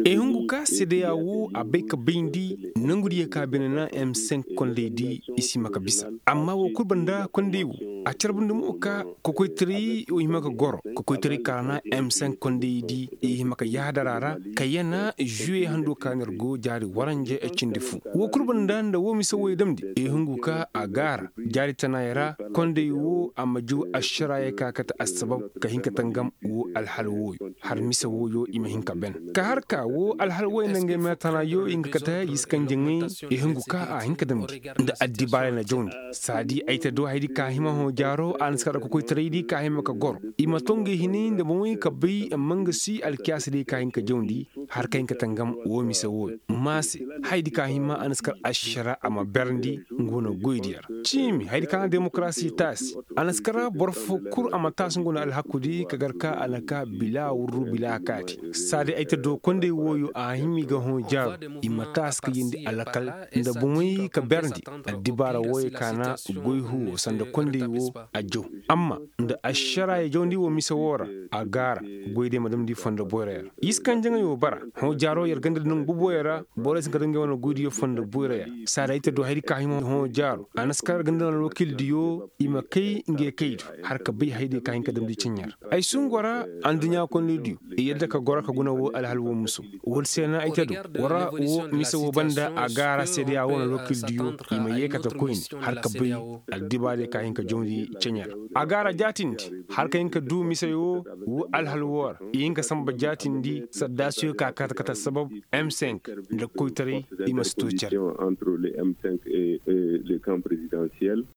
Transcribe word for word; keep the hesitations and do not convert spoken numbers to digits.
Ehungu ka sedeya wo a bay ka bayndi nangu diyo ka bine na m cinq kondaydi i si hima ka bisa. Amma woo kul banda konday wo a carbundi mo ka kokoytaray wo hima ka goro. Kokoytaray ka ra na m cinq kondaydi i hima ka yahadar a ra ka yana žuwe hando ka no ir go jaari waranja cindi fu. Woo kul banda nda woo mise wooyo damndi ehungu ka a gaara jaari tanaayey ra. Konday wo a ma jaw ašaraayey ka kate assabab ka hin ka tangam woo alhal wooyo har mise wooyo i ma hin ka ben ka har ka woo alhal wooyo nda ngey meetanaayo i hin ka kate yiskanjaŋey. Ehungu ka a hin ka damndi nda addibaarey na jawndi saadi ay ta do haydi ka hima hõ jaaro a na si kar kokoytaraydi ka hima ka goro i ma to ngey hinay nda boŋey ka bay mangasi alkiyaasadiyo ka hin ka jawndi har ka hin ka tangam woo mise wooyo ma se. Haydi ka hima a na si kar ašara a ma berndi nga wane goydiyo ra ciimi haydi ka na demokarasi taasi a na si kar boro foo kul a ma taasi nga wane alhakudi ka gar ka a na ka bila wurru bila kaati. Saadi ay ta do konday wooyo a hima i ga hõ jaaru i ma taasi ka yeendi alakal nda boŋey ka berndi addibaara wooyo ka na goy huwo sanda konday woo a jaw amma nda ašaraaya jawndi woo mise woo ra a gaara goydiyo ma damndi fondo boyray ra. Yiskanjaŋey woo bara hõ jaaro yer ganda da nangu boboyo ra borey si hin ka daŋ ngey wane goydiyo fondo boyray ra. Saada ay ta du haydi ka hima hõ jaaro a na si kar ganda da nangu alwakiildiyo i ma kay ngey kay du har ka bay haydi ka hin ka damndi ceɲe ra. Ay si hungu ra adduɲɲa kondaydiyo i yadda ka goro ka guna woo alhal woo muso. Woodi se na ay ta du war ra woo mise woo banda a gaara seedeya woo na alwakiildiyo i ma yee kate koyne har ka bay addibaadiyo ka hin ka jawndi ceɲe ra. A gaara jaatindi har ka hin ka duu mise woo woo alhal woo ra i hin ka sanba jaatindi saddaasiyo ka kate kate sabab m cinq nda koytaray i ma si too cere. Entre le m cinq et le camp présidentiel.